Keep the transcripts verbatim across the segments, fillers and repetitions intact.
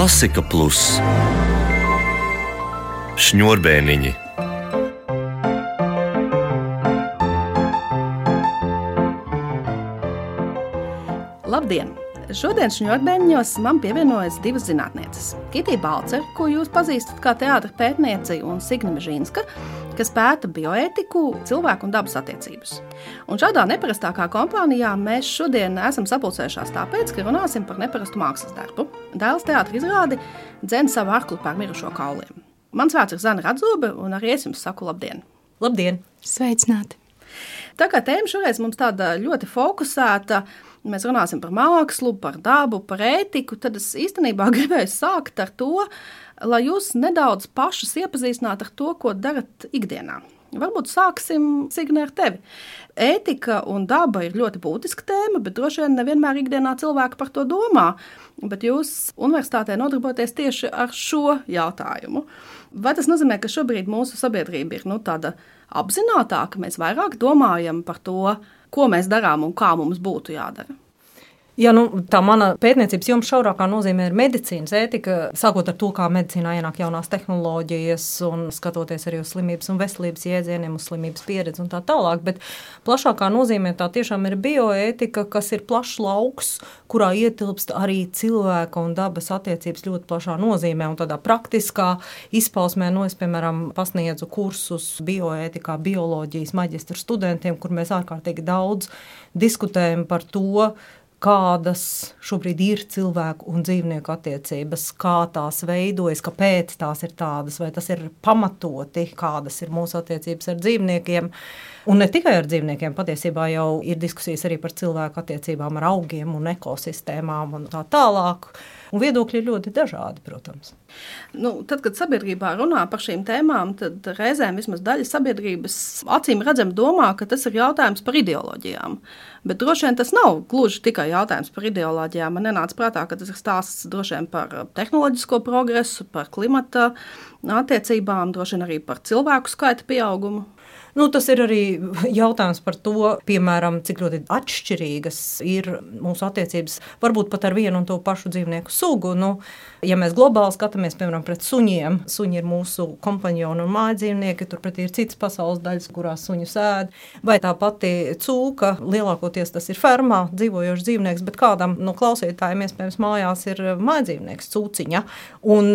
Klasika Plus Šņurbēniņi. Labdien! Šodien Šņurbēniņos man pievienojas divas zinātnieces. Kitija Balcer, ko jūs pazīstat kā teātra pētnieci, un Signe Mežīnska, kas pēta bioētiku, cilvēku un dabas attiecības. Un šādā neparastākā kompānijā mēs šodien esam sapulcējušās tāpēc, ka runāsim par neparastu mākslas darbu. Dēls teātra izrādi dzen savu arklu pār mirušo kauliem. Mans vārds ir Zana Radzobe, un arī es jums saku labdien. Labdien! Sveicināti! Tā kā tēma šoreiz mums tāda ļoti fokusēta, mēs runāsim par mākslu, par dabu, par ētiku, tad es īstenībā gribēju sākt ar to, lai jūs nedaudz pašas iepazīstinātu ar to, ko darat ikdienā. Varbūt sāksim, Signe, ar tevi. Ētika un daba ir ļoti būtiska tēma, bet droši vien nevienmēr ikdienā cilvēki par to domā. Bet jūs universitātē nodarboties tieši ar šo jautājumu. Vai tas nozīmē, ka šobrīd mūsu sabiedrība ir nu, tāda apzinātāka, mēs vairāk domājam par to, ko mēs darām un kā mums būtu jādara? Ja, nu, tā mana pētniecības joma šaurākā nozīmē ir medicīnas ētika, sākot ar to, kā medicīnā ienāk jaunās tehnoloģijas un skatoties arī uz slimības un veselības jēdzieniem, uz slimības pieredzi un tā tālāk, bet plašākā nozīmē tā tiešām ir bioētika, kas ir plašs lauks, kurā ietilpst arī cilvēka un dabas attiecības ļoti plašā nozīmē un tādā praktiskā izpausmē, no es, piemēram, pasniedzu kursus bioētikā, bioloģijas maģistra studentiem, kur mēs ārkārtīgi daudz diskutējam par to, kādas šobrīd ir cilvēku un dzīvnieku attiecības, kā tās veidojas, kāpēc tās ir tādas, vai tas ir pamatoti, kādas ir mūsu attiecības ar dzīvniekiem. Un ne tikai ar dzīvniekiem, patiesībā jau ir diskusijas arī par cilvēku attiecībām ar augiem un ekosistēmām un tā tālāk. Un viedokļi ir ļoti dažādi, protams. Nu, tad, kad sabiedrībā runā par šīm tēmām, tad reizēm vismaz daļa sabiedrības acīm redzam domā, ka tas ir jautājums par ideoloģijām. Bet droši vien tas nav gluži tikai jautājums par ideoloģijām. Man nenāca prātā, ka tas ir stāsts droši vien par tehnoloģisko progresu, par klimata attiecībām, droši vien arī par cilvēku skaita pieaugumu. Nu, tas ir arī jautājums par to, piemēram, cik ļoti atšķirīgas ir mūsu attiecības, varbūt pat ar vienu un to pašu dzīvnieku sugu. Nu, ja mēs globāli skatāmies, piemēram, pret suņiem, suņi ir mūsu kompanjoni un mājdzīvnieki, turpretī ir citas pasaules daļas, kurās suņus ēd, vai tā pati cūka, lielākoties tas ir fermā dzīvojošs dzīvnieks, bet kādam no klausītājiem, iespējams, mājās ir mājdzīvnieks, cūciņa, un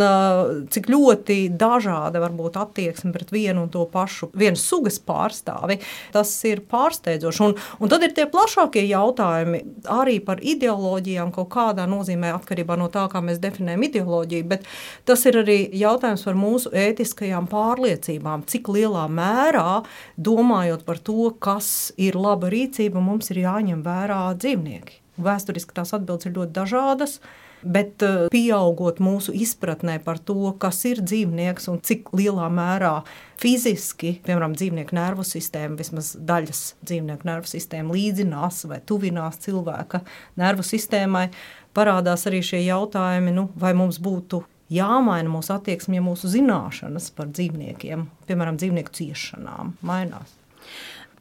cik ļoti dažāda varbūt attieksme pret vienu un to pašu, vienas sugas pārstāvi, tas ir pārsteidzoši. Un, un tad ir tie plašākie jautājumi arī par ideoloģijām kaut kādā nozīmē atkarībā no tā, kā mēs definējam ideoloģiju, bet tas ir arī jautājums par mūsu ētiskajām pārliecībām, cik lielā mērā, domājot par to, kas ir laba rīcība, mums ir jāņem vērā dzīvnieki. Vēsturiski tās atbildes ir ļoti dažādas, bet pieaugot mūsu izpratnē par to, kas ir dzīvnieks un cik lielā mērā fiziski, piemēram, dzīvnieku nervu sistēma, vismaz daļas dzīvnieku nervu sistēma līdzinās vai tuvinās cilvēka nervu sistēmai, parādās arī šie jautājumi, nu, vai mums būtu jāmaina mūsu attieksme, ja mūsu zināšanas par dzīvniekiem, piemēram, dzīvnieku ciešanām, mainās.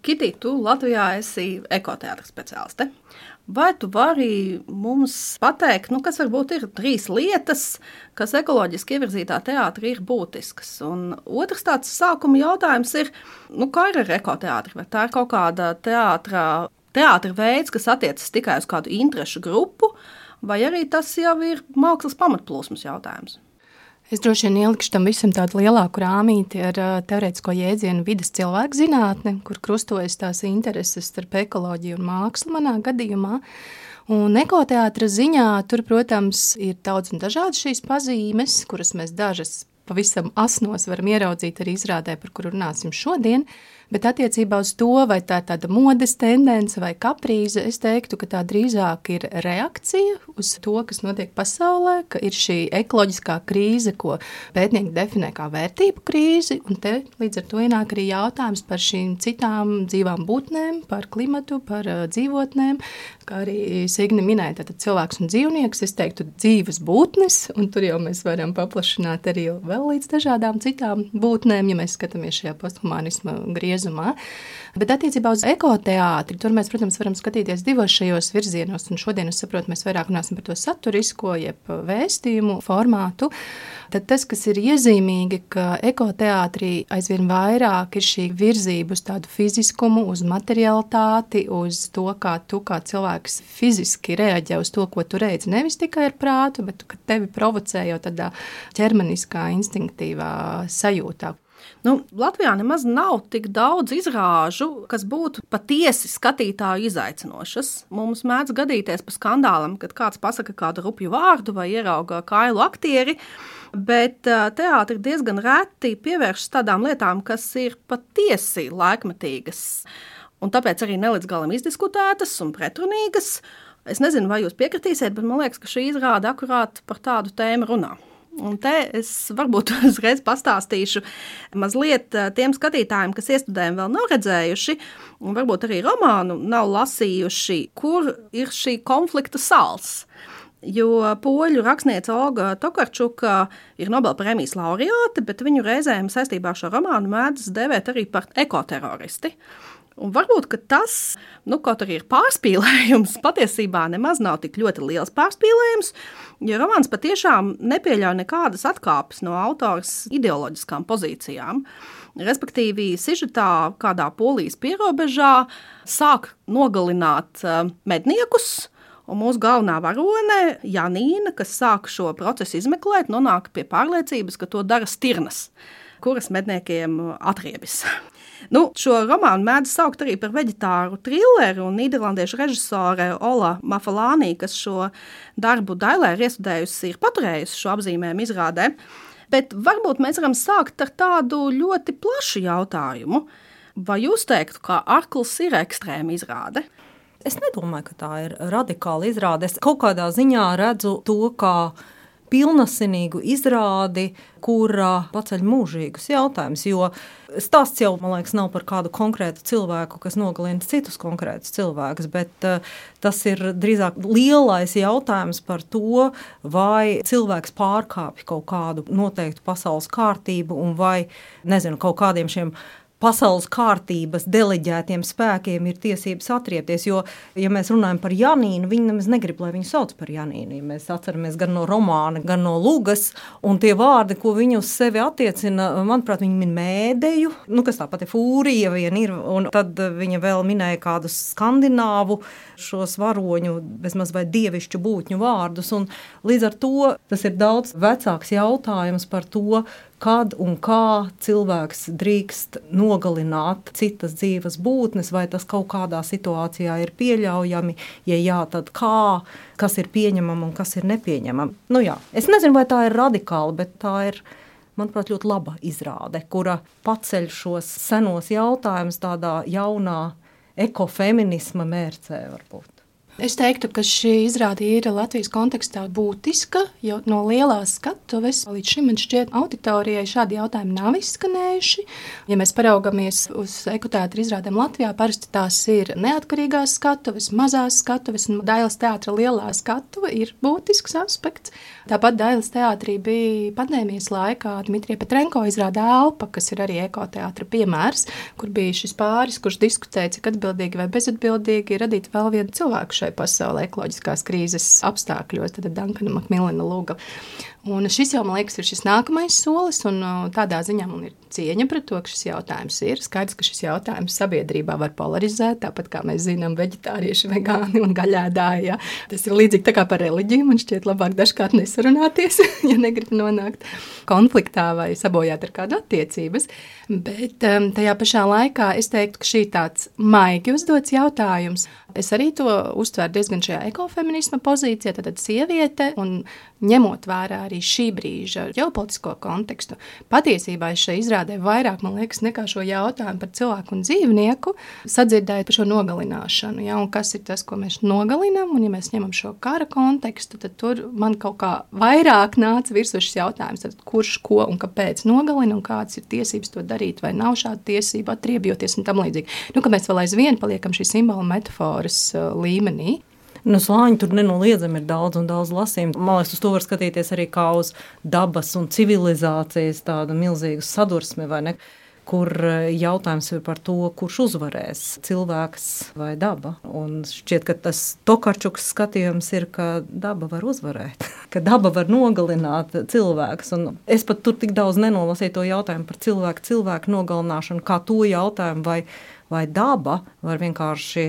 Kitī, tu Latvijā esi ekoteātra speciāliste. Vai tu vari mums pateikt, nu, kas varbūt ir trīs lietas, kas ekoloģiski ievirzītā teātra ir būtiskas? Un otrs tāds sākuma jautājums ir, nu, kā ir ar ekoteātri? Vai tā ir kaut kāda teātra, teātra veids, kas attiecas tikai uz kādu interešu grupu, vai arī tas jau ir mākslas pamatplūsmas jautājums? Es droši vien ielikšu tam visam tādu lielāku rāmīti ar teorētisko jēdzienu vides cilvēku zinātne, kur krustojas tās intereses starp ekoloģiju un mākslu manā gadījumā. Un ekoteātra ziņā tur, protams, ir daudz un dažādas šīs pazīmes, kuras mēs dažas pavisam asnos varam ieraudzīt arī izrādē, par kuru runāsim šodien. Bet attiecībā uz to, vai tā ir tāda modes tendence vai kaprīze, es teiktu, ka tā drīzāk ir reakcija uz to, kas notiek pasaulē, ka ir šī ekoloģiskā krīze, ko pētnieki definē kā vērtību krīzi, un te līdz ar to ienāk arī jautājums par šīm citām dzīvām būtnēm, par klimatu, par uh, dzīvotnēm, kā arī Signe minēja, tātad cilvēks un dzīvnieks, es teiktu dzīves būtnes, un tur jau mēs varam paplašināt arī vēl līdz dažādām citām būtnēm, ja mēs skatāmies šajā posthumanisma griežā griezumā. Bet attiecībā uz ekoteātri, tur mēs, protams, varam skatīties divos šajos virzienos, un šodien, es saprotu, mēs vairāk runāsim par to saturisko, jeb vēstījumu formātu. Tad tas, kas ir iezīmīgi, ka ekoteātrī aizvien vairāk ir šī virzība uz tādu fiziskumu, uz materialitāti, uz to, kā tu kā cilvēks fiziski reaģē uz to, ko tu redzi, nevis tikai ar prātu, bet ka tevi provocē jau tādā ķermeniskā, instinktīvā sajūtā. Nu, Latvijā nemaz nav tik daudz izrāžu, kas būtu patiesi skatītāju izaicinošas. Mums mēdz gadīties pa skandālam, kad kāds pasaka kādu rupju vārdu vai ierauga kailu aktieri, bet teātri diezgan reti pievēršas tādām lietām, kas ir patiesi laikmetīgas. Un tāpēc arī nelīdz galam izdiskutētas un pretrunīgas. Es nezinu, vai jūs piekritīsiet, bet man liekas, ka šī izrāde akurāt par tādu tēmu runā. Un te es varbūt uzreiz pastāstīšu mazliet tiem skatītājiem, kas iestudējumi vēl nav redzējuši, un varbūt arī romānu nav lasījuši, kur ir šī konflikta sāls. Jo poļu rakstniece Olga Tokarčuka ir Nobelprēmijas laureāte, bet viņu reizēm saistībā ar šo romānu mēdz devēt arī par ekoteroristi. Un varbūt, ka tas, nu, kaut arī ir pārspīlējums, patiesībā nemaz nav tik ļoti liels pārspīlējums, jo romāns patiešām nepieļauj nekādas atkāpes no autoras ideoloģiskām pozīcijām. Respektīvi, sižetā kādā Polijas pierobežā sāk nogalināt medniekus, un mūsu galvenā varone, Janīna, kas sāk šo procesu izmeklēt, nonāk pie pārliecības, ka to dara stirnas, kuras medniekiem atriebis. Nu, šo romānu mēdz saukt arī par veģetāru trilleru, un nīderlandiešu režisore Ola Mafalānī, kas šo darbu Dailē ir iestudējusi, ir paturējusi šo apzīmējumu izrādē. Bet varbūt mēs varam sākt ar tādu ļoti plašu jautājumu. Vai jūs teiktu, ka Arkls ir ekstrēma izrāde? Es nedomāju, ka tā ir radikāla izrāde. Es kaut kādā ziņā redzu to, kā pilnasinīgu izrādi, kura paceļ mūžīgus jautājumus, jo stāsts jau, man liekas, nav par kādu konkrētu cilvēku, kas nogalina citus konkrētus cilvēkus, bet uh, tas ir drīzāk lielais jautājums par to, vai cilvēks pārkāpj kaut kādu noteiktu pasaules kārtību un vai, nezinu, kaut kādiem šiem pasaules kārtības deleģētiem spēkiem ir tiesības atriepties, jo, ja mēs runājam par Janīnu, viņi nemaz negrib, lai viņu sauc par Janīnu. Ja mēs atceramies gan no romāna, gan no lugas, un tie vārdi, ko viņi uz sevi attiecina, manuprāt, viņi min mēdeju, nu, kas tā pati fūrija vien ir, un tad viņa vēl minēja kādus skandināvu šos varoņu, bezmaz vai dievišķu būtņu vārdus, un līdz ar to tas ir daudz vecāks jautājums par to, kad un kā cilvēks drīkst nogalināt citas dzīves būtnes, vai tas kaut kādā situācijā ir pieļaujami, ja jā, tad kā, kas ir pieņemama un kas ir nepieņemama. Nu jā, es nezinu, vai tā ir radikāla, bet tā ir, manuprāt, ļoti laba izrāde, kura paceļ šos senos jautājumus tādā jaunā ekofeminisma mērcē varbūt. Es teiktu, ka šī izrāde ir Latvijas kontekstā būtiska, jo no lielās skatuves līdz šim man šķiet auditorijai šādi jautājumi nav izskanējuši. Ja mēs paraugamies uz ekoteātra izrādēm Latvijā, parasti tās ir neatkarīgās skatuves, mazās skatuves, un Dailes teātra lielā skatuve ir būtisks aspekts. Tāpat Dailes teātrī bija pandēmijas laikā Dmitrija Petrenko izrāde Elpa, kas ir arī ekoteātra piemērs, kur bija šis pāris, kurš diskutēja, cik atbildīgi vai bezatbildīgi radīt vēl vienu cilvēku šai pasaulē ekoloģiskās krīzes apstākļos, tad Dankana Makmilena Luga. Un šis jau, man liekas, ir šis nākamais solis, un tādā ziņā man ir cieņa pret to, ka šis jautājums ir. Skaidrs, ka šis jautājums sabiedrībā var polarizēt, tāpat kā mēs zinām, veģetārieši, vegāni un gaļēdāji. Ja. Tas ir līdzīgi tā kā par reliģiju, man šķiet labāk dažkārt nesarunāties, ja negrib nonākt konfliktā vai sabojāt ar kādu attiecības. Bet um, tajā pašā laikā es teiktu, ka šī tāds maigi uzdots jautājums. Es arī to uztvēru diezgan šajā ekofeminisma pozīcijā, tad sieviete, un ņemot vērā arī šī brīža ģeopolitisko kontekstu. Patiesībā es šai izrādē vairāk, man liekas, nekā šo jautājumu par cilvēku un dzīvnieku, sadzirdēju par šo nogalināšanu. Ja, un kas ir tas, ko mēs nogalinām, un ja mēs ņemam šo kara kontekstu, tad tur man kaut kā vairāk nāca virsū šis jautājums, tad kurš, ko un kāpēc nogalina, un kādas ir tiesības to darīt, vai nav šāda tiesība atriebjoties un tam līdzīgi. Nu, ka mēs vēl aizvien paliekam šī simbola metaforas uh, līmenī. Nu, slāņi tur nenoliedzami ir daudz un daudz lasījumu. Man liekas, uz to var skatīties arī kā uz dabas un civilizācijas tādu milzīgu sadursmi, vai ne? kur jautājums ir par to, kurš uzvarēs, cilvēks vai daba. Un šķiet, ka tas Tokarčuks skatījums ir, ka daba var uzvarēt, ka daba var nogalināt cilvēkus. Un es pat tur tik daudz nenolasīju to jautājumu par cilvēku, cilvēku nogalināšanu, kā to jautājumu, vai, vai daba var vienkārši,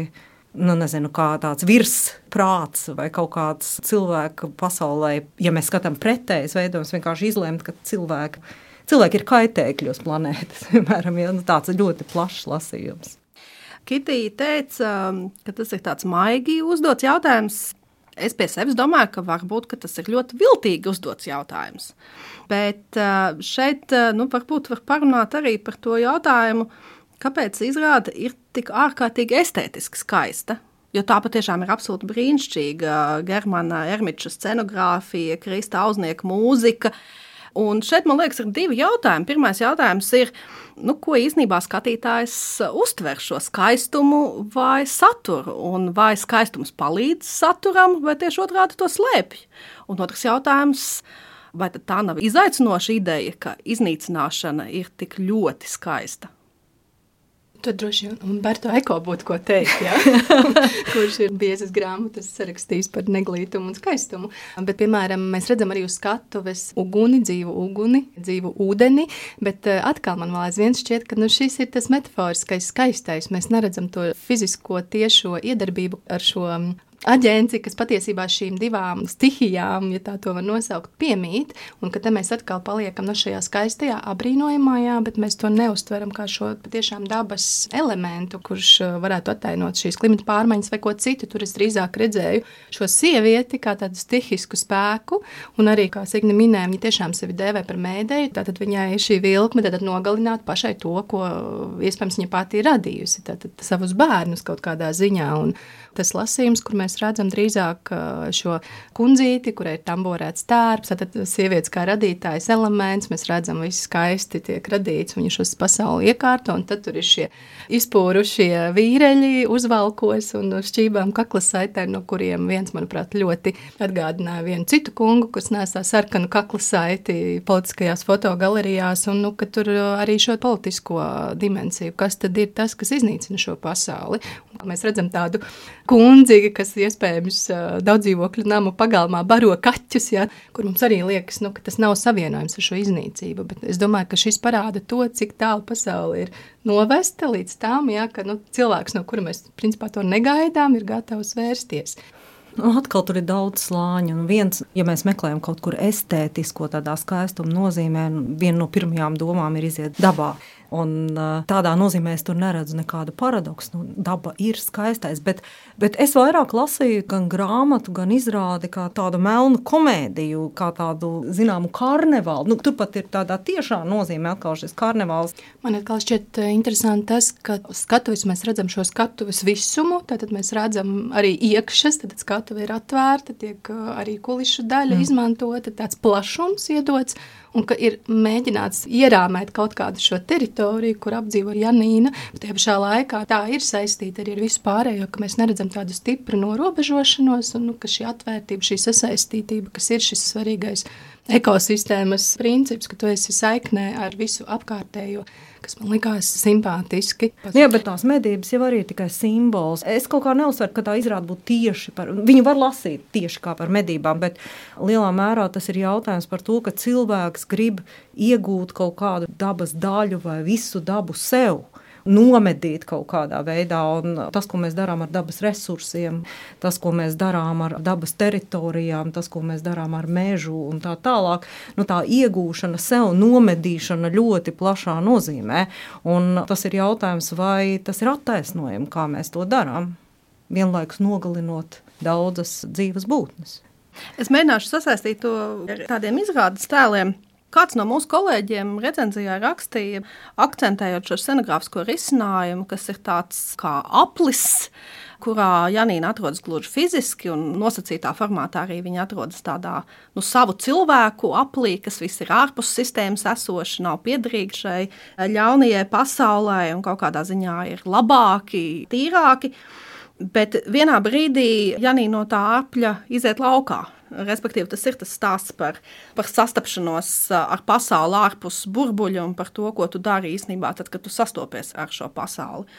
nu nezinu, kā tāds virsprāts vai kaut kāds cilvēku pasaulē, ja mēs skatām pretējs veidojums, vienkārši izlemt, ka cilvēki Cilvēki ir kaitēkļi uz planētas, piemēram, ja, nu, tāds ļoti plašs lasījums. Kitija teica, ka tas ir tāds maigi uzdots jautājums. Es pie sevis domāju, ka varbūt ka tas ir ļoti viltīgi uzdots jautājums. Bet šeit nu, varbūt var parunāt arī par to jautājumu, kāpēc izrāde ir tik ārkārtīgi estētiski skaista. Jo tā patiešām ir absolūti brīnišķīga Germana Ermiča scenogrāfija, Krista Auznieka mūzika. Un šeit, man liekas, ir divi jautājumi. Pirmais jautājums ir, nu, ko īstenībā skatītājs uztver šo skaistumu vai saturu, un vai skaistums palīdz saturam, vai tieši otrādi to slēpj. Un otrs jautājums, vai tad tā nav izaicinoša ideja, ka iznīcināšana ir tik ļoti skaista? Tur droši vien Umberto Eko būtu ko teikt, ja? Kurš ir biezas grāmatas sarakstījis par neglītumu un skaistumu. Bet, piemēram, mēs redzam arī uz skatuves uguni, dzīvu uguni, dzīvu ūdeni, bet atkal man vēl aizvien šķiet, ka nu, šis ir tas metaforiskais skaistais. Mēs neredzam to fizisko tiešo iedarbību ar šo aģenci, kas patiesībā šīm divām stihijām, ja tā to var nosaukt, piemīt, un ka te mēs atkal paliekam no šajā skaistajā, abrīnojamajā, bet mēs to neuztveram kā šo patiešām dabas elementu, kurš varētu attainot šīs klimata pārmaiņas vai ko citu. Tur es drīzāk redzēju šo sievieti kā tādu stihisku spēku, un arī, kā Signe minēja, viņa tiešām sevi dēvē par mēdēju, tātad viņai šī vilkme tātad nogalināt pašai to, ko iespējams viņa pati ir radījusi, tātad savus bērnus kaut kādā ziņā, un tas lasījums, kur mēs redzam drīzāk šo kundzīti, kurai ir tamborēts tērps, tad sievietes kā radītājs elements, mēs redzam, visi skaisti tiek radīts, viņa šos pasauli iekārto, un tad tur ir šie izpūrušie vīreļi uzvalkos un šķībām kaklasaitēm, no kuriem viens, manuprāt, ļoti atgādināja vienu citu kungu, kas nesā sarkanu kaklasaiti politiskajās fotogalerijās, un nu, ka tur arī šo politisko dimensiju, kas tad ir tas, kas iznīcina šo pasauli. Mēs redzam tādu kundzi, kas iespējams daudz dzīvokļu namu pagalmā baro kaķus, ja, kur mums arī liekas, nu, ka tas nav savienojums ar šo iznīcību, bet es domāju, ka šis parāda to, cik tālu pasauli ir novesta līdz tām, ja, ka nu, cilvēks, no kura mēs principā to negaidām, ir gatavs vērsties. Nu, atkal tur ir daudz slāņu, un viens, ja mēs meklējam kaut kur estētisko tādā skaistuma nozīmē, viena no pirmajām domām ir iziet dabā. Un tādā nozīmē es tur neredzu nekādu paradoksu. Nu, daba ir skaistais, bet, bet es vairāk lasīju gan grāmatu, gan izrādi kā tādu melnu komēdiju, kā tādu, zināmu, karnevālu. Nu, turpat ir tādā tiešā nozīmē atkal šis karnevāls. Man atkal šķiet interesanti tas, ka skatuves mēs redzam šo skatuves visumu, tātad mēs redzam arī iekšas, tad skatuve ir atvērta, tiek arī kulišu daļa mm. izmantota, tāds plašums iedots, un ka ir mēģināts ierāmēt kaut kādu šo teritoriju, kur apdzīvo Janīna, bet tajā pašā laikā tā ir saistīta arī ar visu pārējo, ka mēs neredzam tādu stipru norobežošanos, un nu, ka šī atvērtība, šī sasaistītība, kas ir šis svarīgais ekosistēmas princips, ka tu esi saiknē ar visu apkārtējo, kas man likās simpātiski. Jā, bet tās medības jau arī ir tikai simbols. Es kaut kā neuzsveru, ka tā izrāda būtu tieši par, viņu var lasīt tieši kā par medībām, bet lielā mērā tas ir jautājums par to, ka cilvēks grib iegūt kaut kādu dabas daļu vai visu dabu sev, nomedīt kaut kādā veidā, un tas, ko mēs darām ar dabas resursiem, tas, ko mēs darām ar dabas teritorijām, tas, ko mēs darām ar mežu un tā tālāk, nu tā iegūšana sev, nomedīšana ļoti plašā nozīmē, un tas ir jautājums, vai tas ir attaisnojami, kā mēs to darām, vienlaikus nogalinot daudzas dzīves būtnes. Es mēģināšu sasaistīt to ar tādiem izrādes tēliem. Kāds no mūsu kolēģiem recenzijā rakstīja, akcentējot šo scenogrāfisko risinājumu, kas ir tāds kā aplis, kurā Janīna atrodas gluži fiziski un nosacītā formātā arī viņa atrodas tādā nu, savu cilvēku aplī, kas viss ir ārpus sistēmas esoši, nav piederīgi šai ļaunajai pasaulē un kaut kādā ziņā ir labāki, tīrāki. Bet vienā brīdī Janīna no tā apļa iziet laukā. Respektīvi, tas ir tas stāsts par, par sastapšanos ar pasauli ārpus burbuļa un par to, ko tu dari īstenībā tad, kad tu sastopies ar šo pasauli.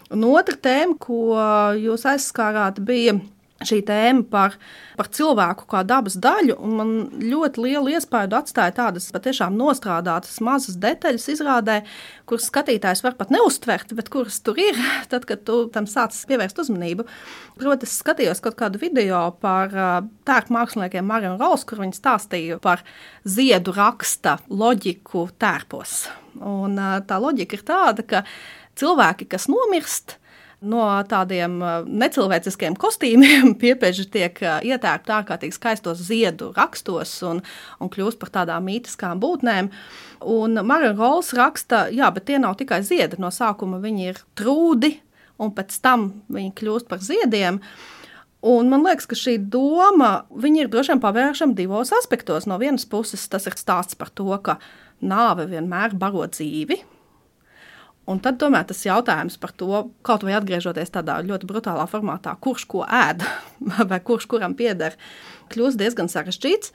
Un otra tēma, ko jūs aizskārāt, bija šī tēma par, par cilvēku kā dabas daļu, un man ļoti lielu iespaidu atstāja tādas patiešām nostrādātas mazas detaļas izrādē, kuras skatītājs var pat neuztvert, bet kuras tur ir, tad, kad tu tam sācis pievērst uzmanību. Proti, es skatījos kaut kādu video par tērpu māksliniekiem Marion Rolls, kur viņi stāstīja par ziedu raksta loģiku tērpos. Un tā loģika ir tāda, ka cilvēki, kas nomirst, no tādiem necilvēciskiem kostīmiem piepieži tiek ietērpti ārkārtīgi skaistos ziedu rakstos un, un kļūst par tādām mītiskām būtnēm. Un Marion Rolls raksta, jā, bet tie nav tikai ziedi. No sākuma viņi ir trūdi, un pēc tam viņi kļūst par ziediem. Un man liekas, ka šī doma, viņi ir droši vien pavēršama divos aspektos. No vienas puses tas ir stāsts par to, ka nāve vienmēr baro dzīvi. Un tad tomēr tas jautājums par to, kaut vai atgriežoties tādā ļoti brutālā formātā, kurš ko ēd vai kurš kuram pieder, kļūst diezgan sarežģīts.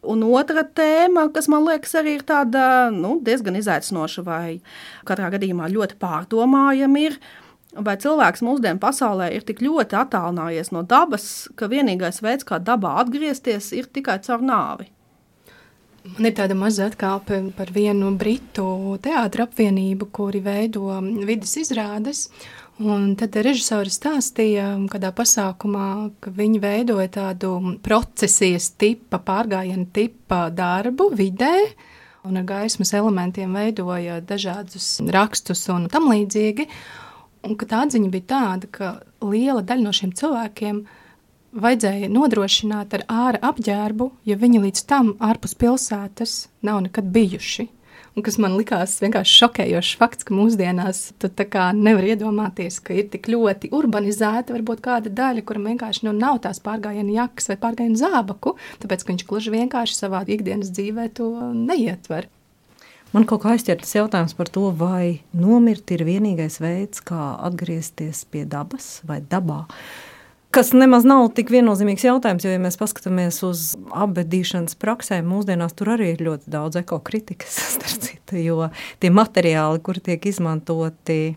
Un otra tēma, kas man liekas arī ir tāda nu, diezgan izaicinoša vai katrā gadījumā ļoti pārdomājama ir, vai cilvēks mūsdienu pasaulē ir tik ļoti attālinājies no dabas, ka vienīgais veids, kā dabā atgriezties, ir tikai caur nāvi. Man ir tāda maza atkāpe par vienu britu teātra apvienību, kuri veido vidas izrādes. Un tad režisori stāstīja kādā pasākumā, ka viņi veidoja tādu procesijas tipa, pārgājienu tipa darbu vidē, un ar gaismas elementiem veidoja dažādus rakstus un tam līdzīgi. Un ka tā atziņa bija tāda, ka liela daļa no šiem cilvēkiem vajadzēja nodrošināt ar āra apģērbu, jo viņi līdz tam ārpus pilsētas nav nekad bijuši. Un kas man likās vienkārši šokējošs fakts, ka mūsdienās tu tā kā nevar iedomāties, ka ir tik ļoti urbanizēta varbūt kāda daļa, kuram vienkārši nu, nav tās pārgājiena jakas vai pārgājiena zābaku, tāpēc, ka viņš gluži vienkārši savā ikdienas dzīvē to neietver. Man kaut kā aizķer tas jautājums par to, vai nomirt ir vienīgais veids, kā atgriezties pie dabas vai dabā. Kas nemaz nav tik viennozīmīgs jautājums, jo, ja mēs paskatāmies uz apbedīšanas praksēm, mūsdienās tur arī ir ļoti daudz ekokritikas, starp citu, jo tie materiāli, kuri tiek izmantoti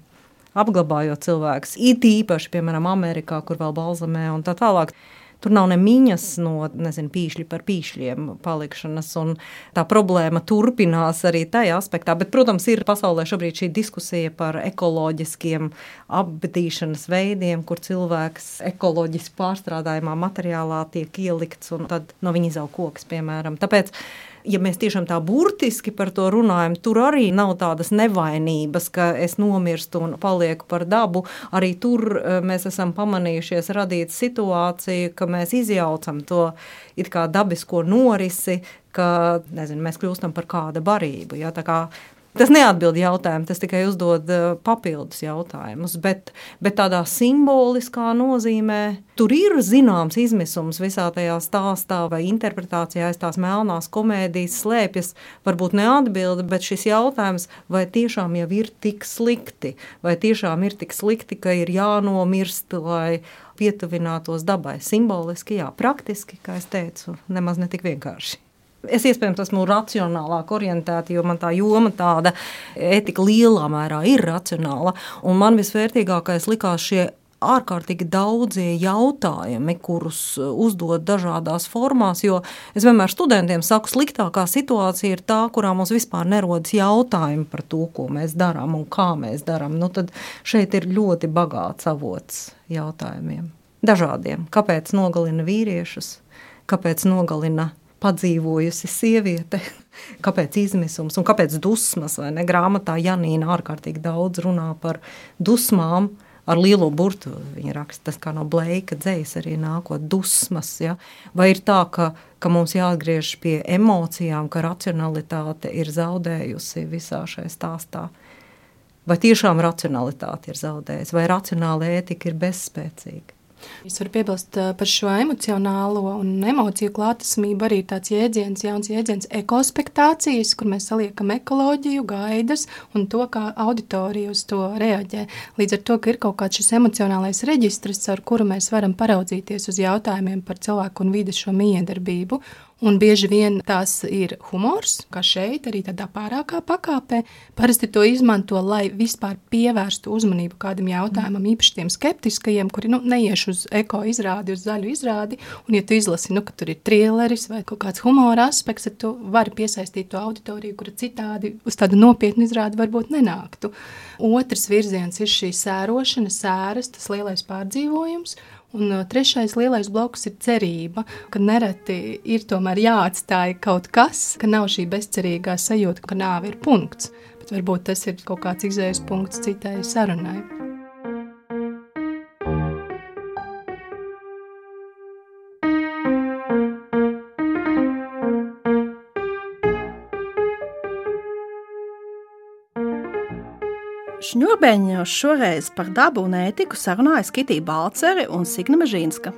apglabājot cilvēkus, it īpaši, piemēram, Amerikā, kur vēl balzamē un tā tālāk, tur nav ne miņas no, nezinu, pīšļi par pīšļiem palikšanas, un tā problēma turpinās arī tajā aspektā. Bet, protams, ir pasaulē šobrīd šī diskusija par ekoloģiskiem apbedīšanas veidiem, kur cilvēks ekoloģiski pārstrādājumā materiālā tiek ielikts, un tad no viņa izaug koks, piemēram. Tāpēc, ja mēs tiešām tā burtiski par to runājam, tur arī nav tādas nevainības, ka es nomirstu un palieku par dabu. Arī tur mēs esam pamanījušies radīt situāciju, ka mēs izjaucam to it kā dabisko norisi, ka, nezinu, mēs kļūstam par kāda barību. Ja? Tā kā tas neatbild jautājumu, tas tikai uzdod papildus jautājumus, bet, bet tādā simboliskā nozīmē tur ir zināms izmisums visā tajā stāstā vai interpretācijā aiz tās melnās komēdijas slēpjas, varbūt neatbilda, bet šis jautājums, vai tiešām jau ir tik slikti, vai tiešām ir tik slikti, ka ir jānomirst, lai pietuvinātos dabai. Simboliski, jā, praktiski, kā es teicu, nemaz ne tik vienkārši. Es iespējams esmu racionālāk orientēta, jo man tā joma tāda etika lielā mērā ir racionāla, un man visvērtīgākais likās šie ārkārtīgi daudzie jautājumi, kurus uzdod dažādās formās, jo es vienmēr studentiem saku, sliktākā situācija ir tā, kurā mums vispār nerodas jautājumi par to, ko mēs darām un kā mēs darām. Nu, tad šeit ir ļoti bagāts avots jautājumiem. Dažādiem. Kāpēc nogalina vīriešus? Kāpēc nogalina padzīvojusi sieviete, kāpēc izmisums un kāpēc dusmas, vai ne? Grāmatā Janīna ārkārtīgi daudz runā par dusmām ar lielo burtu. Viņa raksta, tas kā no Bleika dzejas arī nākot dusmas, ja? Vai ir tā, ka, ka mums jāatgriež pie emocijām, ka racionalitāte ir zaudējusi visā šai stāstā? Vai tiešām racionalitāte ir zaudējusi? Vai racionāla ētika ir bezspēcīga? Es varu piebilst par šo emocionālo un emociju klātesamību arī tāds jēdziens, jauns jēdziens ekospektācijas, kur mēs saliekam ekoloģiju, gaidas un to, kā auditorija uz to reaģē. Līdz ar to, ka ir kaut kāds šis emocionālais reģistrs, ar kuru mēs varam paraudzīties uz jautājumiem par cilvēku un vides šo miedarbību. Un bieži vien tās ir humors, kā šeit, arī tādā pārākā pakāpē. Parasti to izmanto, lai vispār pievērstu uzmanību kādam jautājumam, īpaši tiem skeptiskajiem, kuri nu, neieš uz eko izrādi, uz zaļu izrādi. Un ja tu izlasi, nu, ka tur ir trilleris vai kaut kāds humora aspekts, tad tu vari piesaistīt to auditoriju, kura citādi uz tādu nopietnu izrādi varbūt nenāktu. Otrs virziens ir šī sērošana, sēras, tas lielais pārdzīvojums. Un trešais lielais bloks ir cerība, ka nereti ir tomēr jāatstāj kaut kas, ka nav šī bezcerīgā sajūta, ka nāve ir punkts, bet varbūt tas ir kaut kāds izējas punkts citai sarunai. Šņurbeņos šoreiz par dabu un ētiku sarunājas Kitija Balcere un Signe Mežīnska.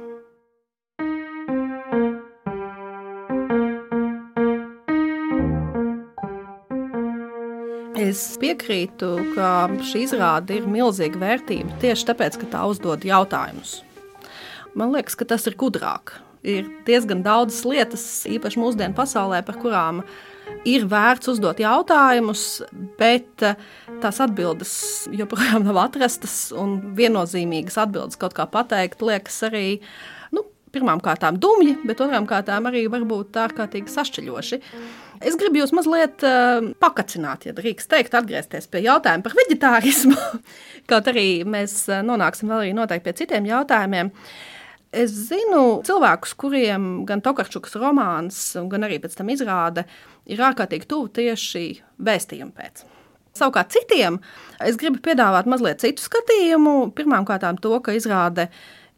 Es piekrītu, ka šī izrāde ir milzīga vērtība tieši tāpēc, ka tā uzdod jautājumus. Man liekas, ka tas ir gudrāk. Ir diezgan daudzas lietas, īpaši mūsdienu pasaulē, par kurām ir vērts uzdot jautājumus, bet tās atbildes joprojām nav atrastas un viennozīmīgas atbildes kaut kā pateikt, liekas arī, nu, pirmām kārtām dumji, bet otrām kārtām arī varbūt ārkārtīgi sašķeļoši. Es gribu jūs mazliet uh, pakacināt, ja drīkst teikt, atgriezties pie jautājuma par veģetārismu, kaut arī mēs nonāksim vēl arī noteikti pie citiem jautājumiem. Es zinu cilvēkus, kuriem gan Tokarčukas romāns, gan arī pēc tam izrāde ir ārkārtīgi tuvu tieši vēstījumu pēc. Savukārt citiem es gribu piedāvāt mazliet citu skatījumu. Pirmām kārtām to, ka izrāde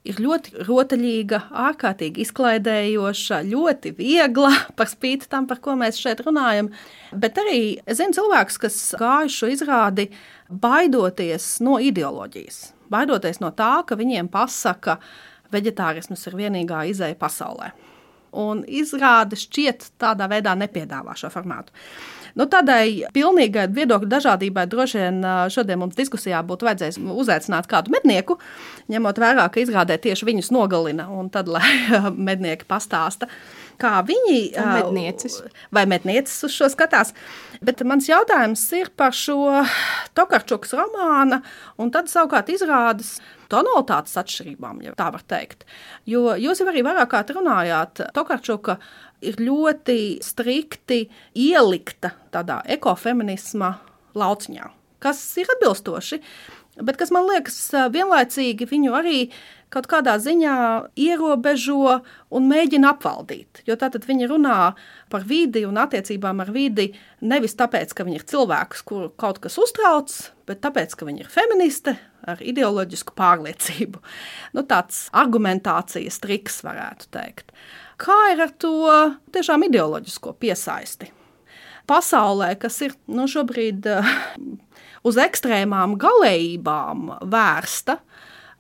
ir ļoti rotaļīga, ārkārtīgi izklaidējoša, ļoti viegla, par spīti tam, par ko mēs šeit runājam. Bet arī es zinu cilvēkus, kas gāju šo izrādi baidoties no ideoloģijas, baidoties no tā, ka viņiem pasaka, veģetārisms ir vienīgā izeja pasaulē. Un izrāde šķiet tādā veidā nepiedāvā šo formātu. Nu, tādai pilnīgai viedokļu dažādībai droši vien šodien mums diskusijā būtu vajadzējis uzaicināt kādu mednieku, ņemot vērā, ka izrādē tieši viņus nogalina, un tad, lai mednieki pastāsta, kā viņi medniecis. vai medniecis uz šo skatās. Bet mans jautājums ir par šo Tokarčukas romāna, un tad savukārt izrādes tonalitātes atšķirībām, ja tā var teikt. Jo jūs jau arī vairāk kārt runājāt, Tokarčuka ir ļoti strikti ielikta tādā ekofeminisma lauciņā, kas ir atbilstoši, bet kas man liekas vienlaicīgi viņu arī kaut kādā ziņā ierobežo un mēģina apvaldīt. Jo tātad viņi runā par vidi un attiecībām ar vidi nevis tāpēc, ka viņi ir cilvēks, kuru kaut kas uztrauc, bet tāpēc, ka viņi ir feministe ar ideoloģisku pārliecību. Nu, tāds argumentācijas triks varētu teikt. Kā ir ar to tiešām ideoloģisko piesaisti? Pasaulē, kas ir nu, šobrīd uz ekstrēmām galējībām vērsta,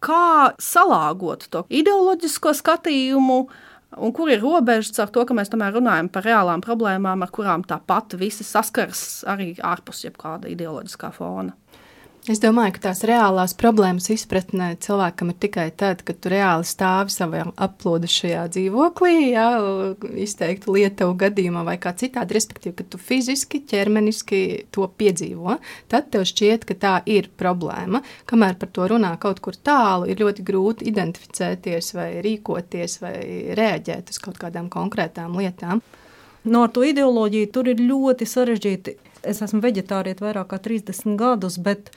kā salāgot to ideoloģisko skatījumu un kur ir robežas ar to, ka mēs tomēr runājam par reālām problēmām, ar kurām tāpat visi saskars arī ārpus jebkāda ideoloģiskā fona. Es domāju, ka tās reālās problēmas izpratnē cilvēkam ir tikai tad, kad tu reāli stāvi savā aplūdušajā dzīvoklī, jā, izteiktu Lietuvu gadījumā vai kā citādi, respektīvi, ka tu fiziski, ķermeniski to piedzīvo, tad tev šķiet, ka tā ir problēma. Kamēr par to runā kaut kur tālu, ir ļoti grūti identificēties vai rīkoties vai reaģēt uz kaut kādām konkrētām lietām. No ar to ideoloģiju tur ir ļoti sarežģīti. Es esmu veģetārieta vairāk kā trīsdesmit gadus, bet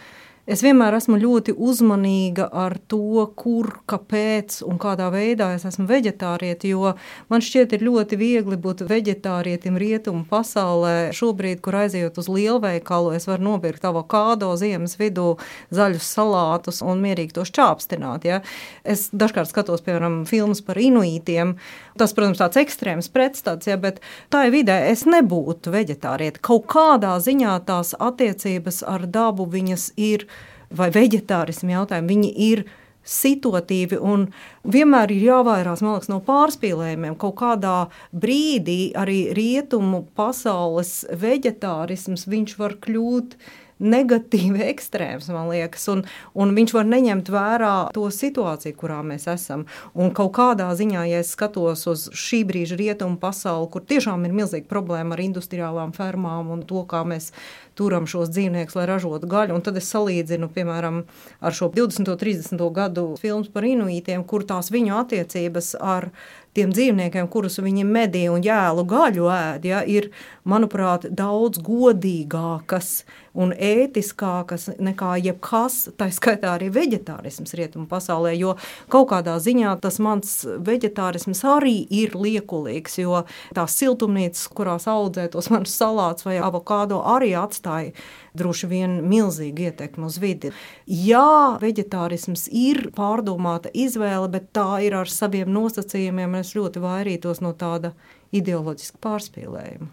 es vienmēr esmu ļoti uzmanīga ar to, kur, kāpēc un kādā veidā es esmu veģetārieta, jo man šķiet ir ļoti viegli būt veģetārietim rietumu pasaulē. Šobrīd, kur aizejot uz lielveikalu, es varu nopirkt avokādo ziemas vidū, zaļus salātus un mierīgi to šķāpstināt. Ja? Es dažkārt skatos, piemēram, filmas par inuītiem. Tas, protams, tāds ekstrēms pretstats, ja, bet tā ir vidē es nebūtu veģetārieta. Kaut kādā ziņā tās attiecības ar dabu viņas ir, vai veģetārismu jautājumi, viņi ir situatīvi un vienmēr ir jāvairās, man liekas, no pārspīlējumiem. Kaut kādā brīdī arī rietumu pasaules veģetārisms, viņš var kļūt negatīvi ekstrēms, man liekas, un, un viņš var neņemt vērā to situāciju, kurā mēs esam. Un kaut kādā ziņā, ja es skatos uz šī brīža rietumu pasauli, kur tiešām ir milzīga problēma ar industriālām fermām un to, kā mēs turam šos dzīvniekus, lai ražotu gaļu, un tad es salīdzinu, piemēram, ar šo divdesmito trīsdesmito gadu filmas par inuītiem, kur tās viņu attiecības ar tiem dzīvniekiem, kurus viņi medī un jēlu gaļu ēd, ja, ir, manuprāt, daudz godīgākas un ētiskākas nekā jebkas, tā skaitā arī veģetārisms rietumu pasaulē, jo kaut kādā ziņā tas mans veģetārisms arī ir liekulīgs, jo tās siltumnīcas, kurās audzē tos manus salātus vai avokādo, arī atstāja droši vien milzīgi ietekmi uz vidi. Jā, veģetārisms ir pārdomāta izvēle, bet tā ir ar saviem nosacījumiem, un es ļoti vairītos no tāda ideoloģiska pārspīlējuma.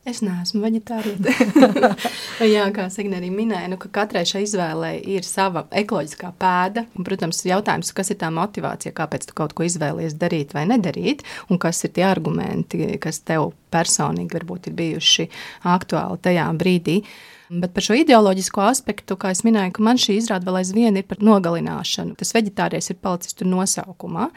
Es neesmu veģetāriete. Jā, kā Signe arī minēja, nu, ka katrai šai izvēlei ir sava ekoloģiskā pēda. Un, protams, jautājums, kas ir tā motivācija, kāpēc tu kaut ko izvēlies darīt vai nedarīt, un kas ir tie argumenti, kas tev personīgi varbūt ir bijuši aktuāli tajā brīdī. Bet par šo ideoloģisko aspektu, kā es minēju, ka man šī izrāda vēl aizvien ir par nogalināšanu. Tas veģetāries ir palicis tur nosaukumā.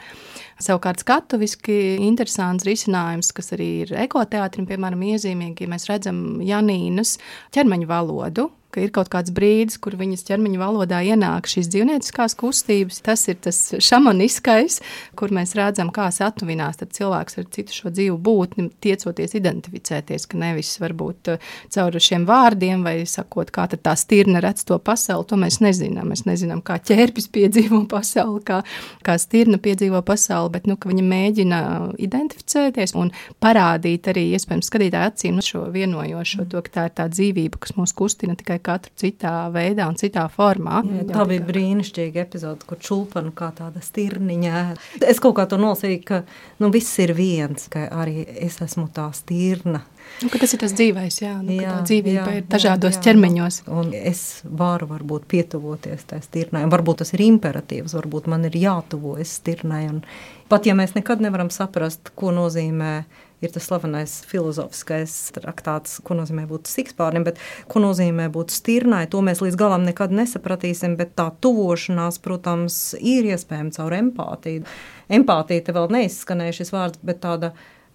Savukārt skatuviski interesants risinājums, kas arī ir ekoteātrim, piemēram, iezīmīgi, ja mēs redzam Janīnas ķermeņa valodu, ka ir kaut kāds brīdis, kur viņas ķermeņa valodā ienāk šīs dzīvnieciskās kustības. Tas ir tas šamaniskais, kur mēs redzam, kā satuvinās tad cilvēks ar citu šo dzīvu būtni, tiecoties identificēties, ka nevis varbūt caur šiem vārdiem vai sakot, kā tad tā stirna redz to pasauli, to mēs nezinām. Mēs nezinām, kā ķērpis piedzīvo pasauli, kā, kā stirna piedzīvo pasauli, bet nu, ka viņa mēģina identificēties un parādīt arī, iespējams, skatītāju acīm šo vienojošo, to, ka tā ir tā dzīvība, kas mūs kustina tikai katru citā veidā un citā formā. Jā, tā bija brīnišķīga epizode, kur čulpanu kā tāda stirniņa. Es kaut kā to nolasīju, ka nu, viss ir viens, ka arī es esmu tā stirna. Nu, ka tas ir tas dzīvais, jā, nu, jā, ka tā dzīvība jā, ir dažādos jā, jā. ķermeņos. Un es varu varbūt pietuvoties tai stirnai. Varbūt tas ir imperatīvs, varbūt man ir jātuvojas stirnai. Un pat ja mēs nekad nevaram saprast, ko nozīmē ir tas slavenais filozofiskais traktāts, ko nozīmē būt sikspārnim, bet ko nozīmē būt stirnai, to mēs līdz galam nekad nesapratīsim, bet tā tuvošanās, protams, ir iespējama caur empātiju. Empātija te vēl neizskanēja šis vārds, bet tāda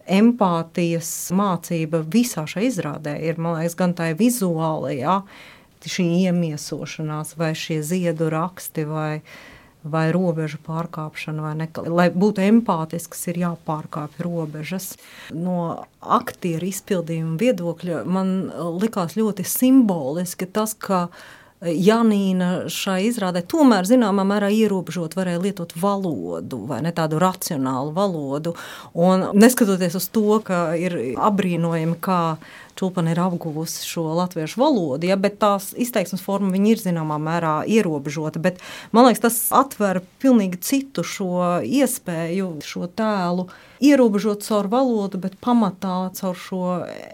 empātijas mācība visā šai izrādē ir, man liekas, gan tā vizuālajā, šī iemiesošanās vai šie ziedu raksti vai vai robežu pārkāpšana, vai ne. Lai būtu empātisks, ir jāpārkāpj robežas. No aktieru izpildījuma viedokļa man likās ļoti simboliski tas, ka Janīna šai izrādē tomēr zināmā mērā ierobežot varēja lietot valodu, vai ne tādu racionālu valodu. Un neskatoties uz to, ka ir abrīnojami, kā Čulpana ir apguvusi šo latviešu valodu, ja, bet tās izteiksmes forma viņa ir zināmā mērā ierobežota. Bet man liekas, tas atver pilnīgi citu šo iespēju, šo tēlu ierobežot caur valodu, bet pamatā caur šo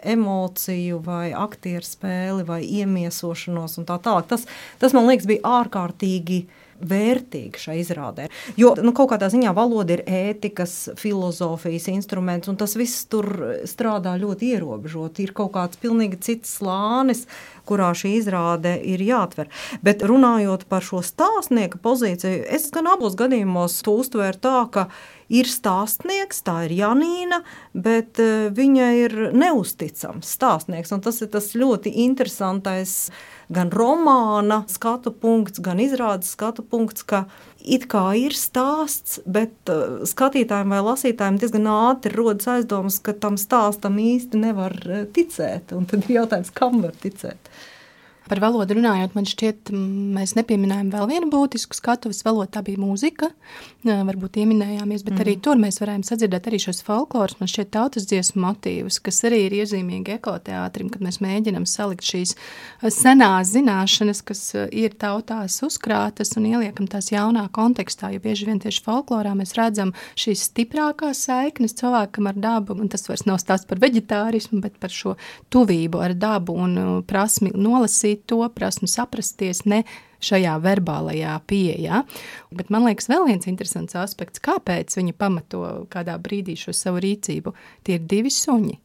emociju vai aktieru spēli vai iemiesošanos un tā tālāk. Tas, tas man liekas, bija ārkārtīgi vērtīgi šai izrādē. Jo nu, kaut kādā ziņā valoda ir ētikas, filozofijas instruments, un tas viss tur strādā ļoti ierobežot. Ir kaut kāds pilnīgi cits slānis, kurā šī izrāde ir jāatver. Bet runājot par šo stāstnieka pozīciju, es gan abos gadījumos to uztvēru tā, ka ir stāstnieks, tā ir Janīna, bet viņa ir neusticams stāstnieks, un tas ir tas ļoti interesantais gan romāna skatu punkts, gan izrādes skatu punkts, ka it kā ir stāsts, bet skatītājiem vai lasītājiem diezgan ātri rodas aizdomas, ka tam stāstam īsti nevar ticēt, un tad ir jautājums, kam var ticēt. Par valodu runājot, man šķiet, mēs nepieminējām vēl vienu būtisku skatuves valodu, tā bija mūzika, varbūt ieminējāmies, bet mm. arī tur mēs varējām sadzirdēt arī šos folkloras, man šķiet tautas dziesmu motīvus, kas arī ir iezīmīgi ekoteātrim, kad mēs mēģinam salikt šīs senās zināšanas, kas ir tautās uzkrātas un ieliekam tās jaunā kontekstā, jo bieži vien tieši folklorā mēs redzam šīs stiprākās saiknes cilvēkam ar dabu, un tas vairs nav stāsts par veģetārismu, bet par šo tuvību ar dabu un prasmi nolasīt to, prasmi saprasties, ne šajā verbālajā pieejā. Bet man liekas, vēl viens interesants aspekts, kāpēc viņa pamato kādā brīdī šo savu rīcību. Tie ir divi suņi,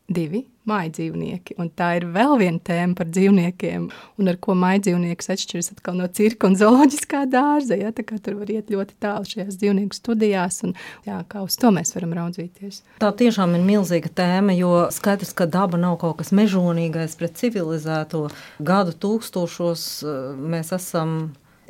divi mājdzīvnieki, un tā ir vēl viena tēma par dzīvniekiem, un ar ko mājdzīvnieks atšķiras atkal no cirka un zooloģiskā dārza, ja? Tā kā tur var iet ļoti tālu šajās dzīvnieku studijās, un jā, kā uz to mēs varam raudzīties. Tā tiešām ir milzīga tēma, jo skaidrs, ka daba nav kaut kas mežonīgais pret civilizēto. Gadu tūkstošos mēs esam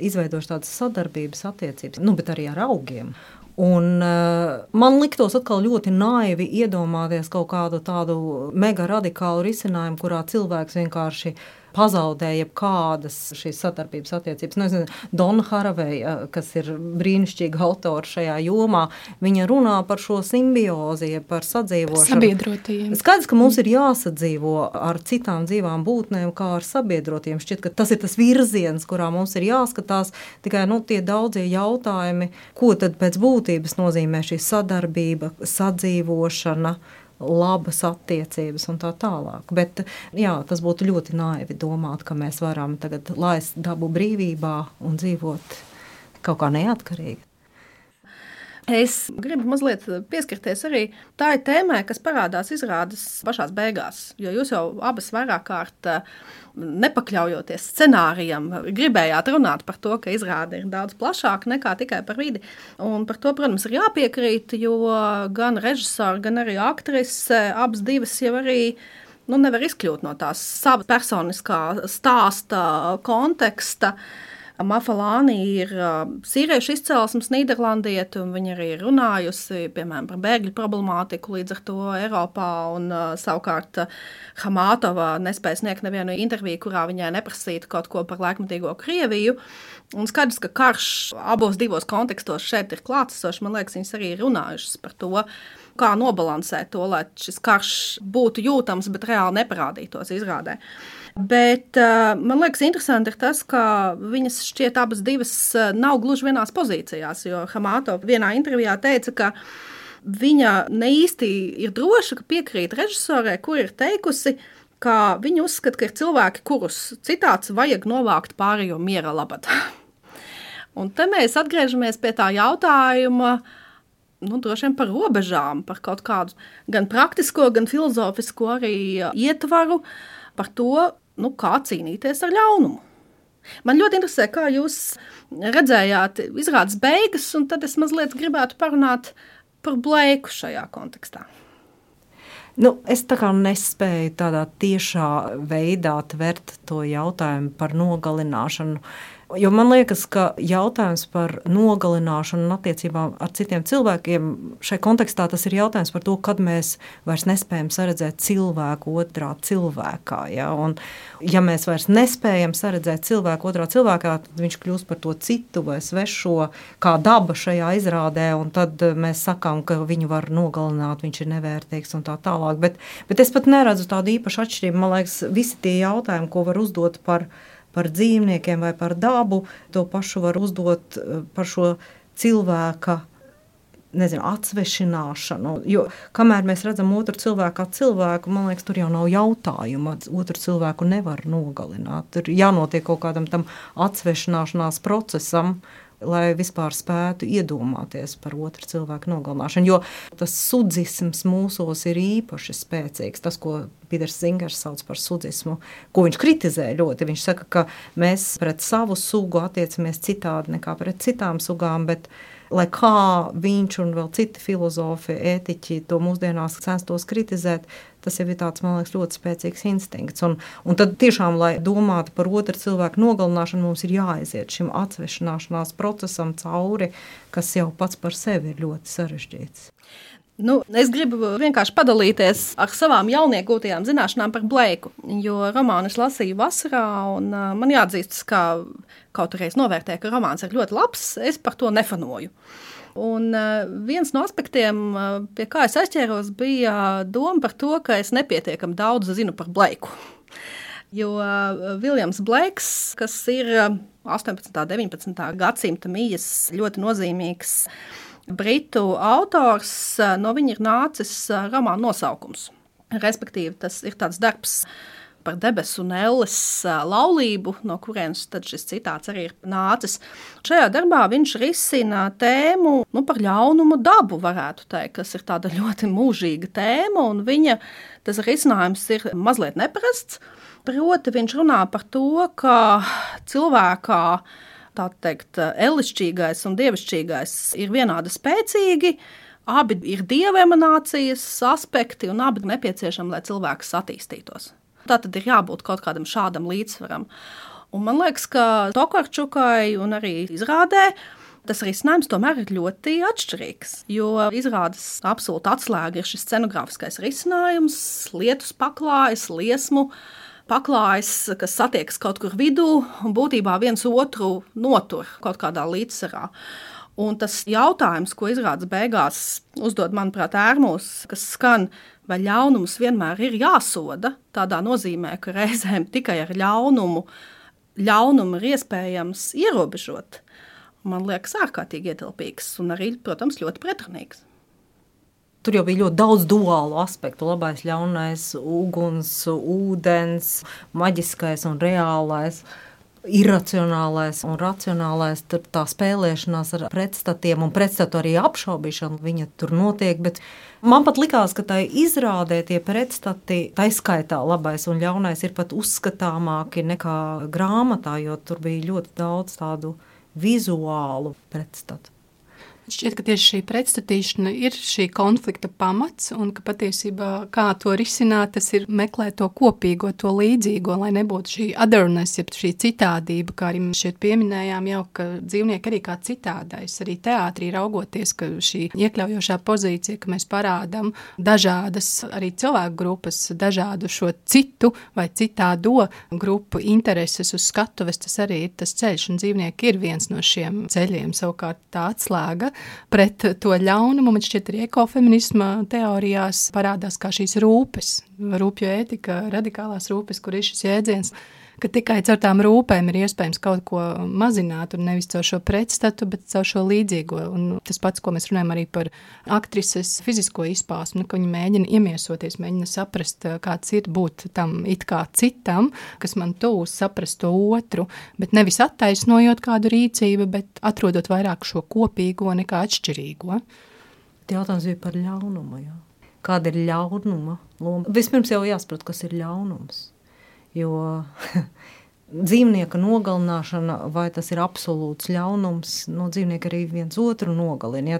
izveidojuši tādas sadarbības attiecības, nu, bet arī ar augiem. Un uh, man liktos atkal ļoti naivi iedomāties kaut kādu tādu mega radikālu risinājumu, kurā cilvēks vienkārši pazaudēja jebkādas šīs sadarbības attiecības. Nu, es nezinu, Donna Haraway, kas ir brīnišķīga autora šajā jomā, viņa runā par šo simbiozi, par sadzīvošanu. Sabiedrotajiem. Skaidrs, ka mums ir jāsadzīvo ar citām dzīvām būtnēm, kā ar sabiedrotiem. Šķiet, ka tas ir tas virziens, kurā mums ir jāskatās, tikai nu, tie daudzie jautājumi, ko tad pēc būtības nozīmē šī sadarbība, sadzīvošana, labas attiecības un tā tālāk. Bet jā, tas būtu ļoti naivi domāt, ka mēs varam tagad laist dabu brīvībā un dzīvot kaut kā neatkarīgi. Es gribu mazliet pieskarties arī tai tēmai, kas parādās izrādes pašās beigās, jo jūs jau abas vairāk kārt nepakļaujoties scenārijam, gribējāt runāt par to, ka izrāde ir daudz plašāka nekā tikai par vidi. Un par to, protams, ir jāpiekrīt, jo gan režisori, gan arī aktrise, abas divas jau arī nu, nevar izkļūt no tās sava personiskā stāsta konteksta. Mafalāni ir sīriešu izcelsmes nīderlandieti, un viņa arī ir runājusi, piemēram, par bēgļu problemātiku līdz ar to Eiropā, un savukārt Hamātova nespēja sniegt nevienu interviju, kurā viņai neprasītu kaut ko par laikmatīgo Krieviju. Un skaidrs, ka karš abos divos kontekstos šeit ir klātesošs, man liekas, viņas arī ir runājušas par to, kā nobalansēt to, lai šis karš būtu jūtams, bet reāli neparādītos izrādē. Bet man liekas interesanti ir tas, ka viņas šķiet abas divas nav gluži vienās pozīcijās, jo Hamātova vienā intervijā teica, ka viņa ne īsti ir droša, ka piekrīt režisorē, kur ir teikusi, ka viņa uzskata, ka ir cilvēki, kurus citāts vajag novākt pārējo miera labad. Un te mēs atgriežamies pie tā jautājuma, nu, droši vien par robežām, par kaut kādu gan praktisko, gan filozofisko arī ietvaru, par to, nu, kā cīnīties ar ļaunumu. Man ļoti interesē, kā jūs redzējāt izrādes beigas, un tad es mazliet gribētu parunāt par Bleiku šajā kontekstā. Nu, es tā kā nespēju tādā tiešā veidā tvert to jautājumu par nogalināšanu. Jo man liekas, ka jautājums par nogalināšanu un attiecībām ar citiem cilvēkiem šai kontekstā tas ir jautājums par to, kad mēs vairs nespējam saredzēt cilvēku otrā cilvēkā. Ja? Un, ja mēs vairs nespējam saredzēt cilvēku otrā cilvēkā, tad viņš kļūst par to citu vai svešo, kā daba šajā izrādē, un tad mēs sakām, ka viņu var nogalināt, viņš ir nevērtīgs un tā tālāk. Bet, bet es pat neredzu tādu īpašu atšķirību. Man liekas, visi tie jautājumi, ko var uzdot par par dzīvniekiem vai par dabu, to pašu var uzdot par šo cilvēka, nezinu, atsvešināšanu. Jo kamēr mēs redzam otru cilvēku kā cilvēku, man liekas, tur jau nav jautājuma. Otru cilvēku nevar nogalināt. Tur jānotiek kaut kādam tam atsvešināšanās procesam, lai vispār spētu iedomāties par otru cilvēku nogalināšanu. Jo tas sudzisms mūsos ir īpaši spēcīgs. Tas, ko Pīters Zingers sauc par sudzismu, ko viņš kritizē ļoti. Viņš saka, ka mēs pret savu sugu attiecamies citādi nekā pret citām sugām, bet lai kā viņš un vēl citi filozofi, ētiķi to mūsdienās censtos kritizēt, tas jau ir tāds, man liekas, ļoti spēcīgs instinkts. Un, un tad tiešām, lai domātu par otru cilvēku nogalināšanu, mums ir jāaiziet šim atsvešināšanās procesam cauri, kas jau pats par sevi ir ļoti sarežģīts. Nu, es gribu vienkārši padalīties ar savām jauniegūtajām zināšanām par Bleiku, jo romānu es lasīju vasarā, un uh, man jāatzīstas, ka kaut arī es novērtēju, ka romāns ir ļoti labs, es par to nefanoju. Un uh, viens no aspektiem, uh, pie kā es aizķēros, bija doma par to, ka es nepietiekami daudz zinu par Bleiku. Jo uh, Viljams Bleiks, kas ir uh, astoņpadsmitā un deviņpadsmitā gadsimta mijas ļoti nozīmīgs britu autors, no viņa ir nācis romāna nosaukums. Respektīvi, tas ir tāds darbs par debesu un elles laulību, no kurienes tad šis citāts arī ir nācis. Šajā darbā viņš risina tēmu nu, par ļaunumu dabu, varētu teikt, kas ir tāda ļoti mūžīga tēma, un viņa tas risinājums ir mazliet neparasts. Proti viņš runā par to, ka cilvēkā tā teikt, elišķīgais un dievišķīgais ir vienādi spēcīgi, abi ir dieva emanācijas aspekti un abi ir nepieciešami, lai cilvēks attīstītos. Tā tad ir jābūt kaut kādam šādam līdzsvaram. Un man liekas, ka Tokarčukai un arī izrādē tas risinājums tomēr ir ļoti atšķirīgs, jo izrādes absolūti atslēga ir šis scenogrāfiskais risinājums, lietus paklājas, liesmu paklājas, kas satiekas kaut kur vidū un būtībā viens otru notur kaut kādā līdzsvarā. Un tas jautājums, ko izrādes beigās uzdod, manuprāt, Ērmos, kas skan, vai ļaunums vienmēr ir jāsoda, tādā nozīmē, ka reizēm tikai ar ļaunumu, ļaunumu ir iespējams ierobežot. Man liekas ārkārtīgi ietilpīgs un arī, protams, ļoti pretrunīgs. Tur jau bija ļoti daudz duālu aspektu, labais, ļaunais, uguns, ūdens, maģiskais un reālais. Iracionālais un racionālais, tur tā spēlēšanās ar pretstatiem un pretstatu arī apšaubīšana viņa tur notiek, bet man pat likās, ka tai izrādē tie pretstati, tā skaitā labais un ļaunais ir pat uzskatāmāki nekā grāmatā, jo tur bija ļoti daudz tādu vizuālu pretstatu. Šķiet, ka tieši šī pretstatīšana ir šī konflikta pamats un ka patiesībā kā to risināt, tas ir meklēt to kopīgo, to līdzīgo, lai nebūtu šī otherness, jeb šī citādība, kā arī mēs šeit pieminējām jau, ka dzīvnieki arī kā citādais. Arī teātrī raugoties, ka šī iekļaujošā pozīcija, ka mēs parādām dažādas arī cilvēku grupas, dažādu šo citu vai citādo grupu intereses uz skatuves, tas arī ir tas ceļš, un dzīvnieki ir viens no šiem ceļiem, savukārt tā atslēga pret to ļaunumu, man šķiet arī ekofeminisma teorijās parādās kā šīs rūpes, rūpju ētika, radikālās rūpes, kur ir šis jēdziens, ka tikai caur tām rūpēm ir iespējams kaut ko mazināt un nevis caur šo pretstatu, bet caur šo līdzīgo. Un tas pats, ko mēs runājam arī par aktrises fizisko izpausmi, ka viņi mēģina iemiesoties, mēģina saprast, kāds ir būt tam it kā citam, kas man tūs, saprast to otru, bet nevis attaisnojot kādu rīcību, bet atrodot vairāk šo kopīgo nekā atšķirīgo. Jautājums bija par ļaunumu, jā. Kāda ir ļaunuma loma? Vispirms jau jāsaprot, kas ir ļaunums. Jo dzīvnieka nogalināšana, vai tas ir absolūts ļaunums, no dzīvnieka arī viens otru nogalina. Ja?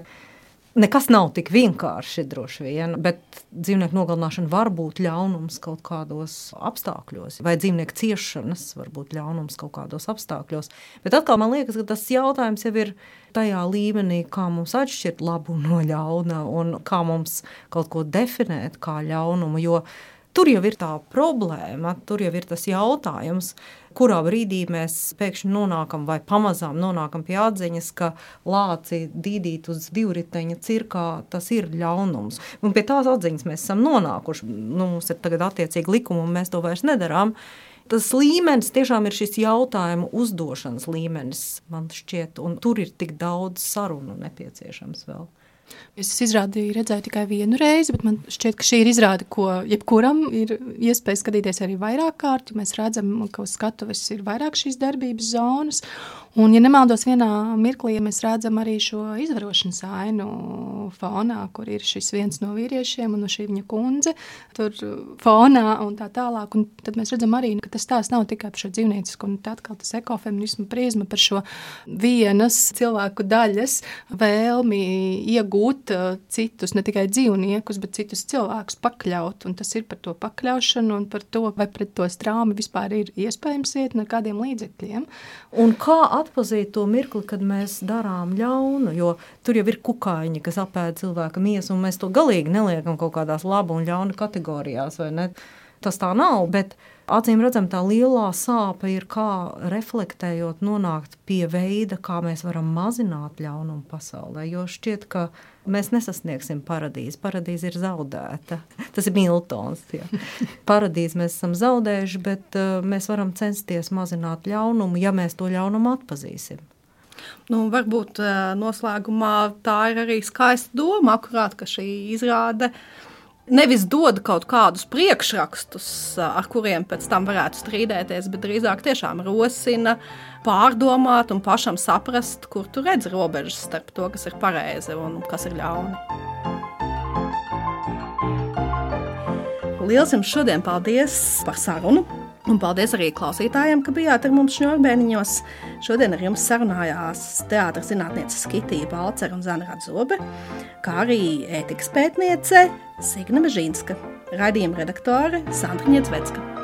Nekas nav tik vienkārši droši vien, bet dzīvnieku nogalināšana var būt ļaunums kaut kādos apstākļos, vai dzīvnieku ciešanas var būt ļaunums kaut kādos apstākļos. Bet atkal man liekas, ka tas jautājums jau ir tajā līmenī, kā mums atšķirt labu no ļauna un kā mums kaut ko definēt kā ļaunumu, jo tur jau ir tā problēma, tur jau ir tas jautājums, kurā brīdī mēs pēkšņi nonākam vai pamazām nonākam pie atziņas, ka lāci dīdīt uz divriteņa cirkā, tas ir ļaunums. Un pie tās atziņas mēs esam nonākuši. Nu, mums ir tagad attiecīgi likumi, un mēs to vairs nedarām. Tas līmenis tiešām ir šis jautājumu uzdošanas līmenis, man šķiet, un tur ir tik daudz sarunu nepieciešams vēl. Es izrādi redzēju tikai vienu reizi, bet man šķiet, ka šī ir izrāde, ko jebkuram ir iespēja skatīties arī vairāk kārt, jo mēs redzam, ka uz skatuves ir vairāk šīs darbības zonas. Un, ja nemaldos vienā mirklī, ja mēs redzam arī šo izvarošanas ainu fonā, kur ir šis viens no vīriešiem un no šī viņa kundze, tur fonā un tā tālāk. Un tad mēs redzam arī, ka tas tās nav tikai par šo dzīvniecisku, un tad atkal tas ekofeminismu prizma par šo vienas cilvēku daļas vēlmi iegūt citus, ne tikai dzīvniekus, bet citus cilvēkus pakļaut. Un tas ir par to pakļaušanu un par to, vai pret to strāmi vispār ir iespējams iet un ar kādiem līdzekļiem. Un kā atpazīt to mirkli, kad mēs darām ļaunu, jo tur jau ir kukaiņi, kas apēd cilvēka miesu, un mēs to galīgi neliekam kaut kādās labu un ļaunu kategorijās, vai ne? Tas tā nav, bet acīm redzam, tā lielā sāpe ir kā reflektējot nonākt pie veida, kā mēs varam mazināt ļaunumu pasaulē, jo šķiet, ka mēs nesasniegsim paradīzi. Paradīze ir zaudēta. Tas ir Miltons. Jā. Paradīzi mēs esam zaudējuši, bet uh, mēs varam censties mazināt ļaunumu, ja mēs to ļaunumu atpazīsim. Nu, varbūt uh, noslēgumā tā ir arī skaista doma, akurāt, ka šī izrāde nevis dod kaut kādus priekšrakstus, ar kuriem pēc tam varētu strīdēties, bet drīzāk tiešām rosina pārdomāt un pašam saprast, kur tu redz robežas starp to, kas ir pareizi un kas ir ļauni. Liels jums šodien paldies par sarunu. Un paldies arī klausītājiem, ka bijāt ar mums Šņurbēniņos. Šodien ar jums sarunājās teātras zinātniece Skitija Balcer un Zana Radzobe, kā arī ētikas pētniece Signe Mežīnska, raidījuma redaktore Sandra Ņiecvecka.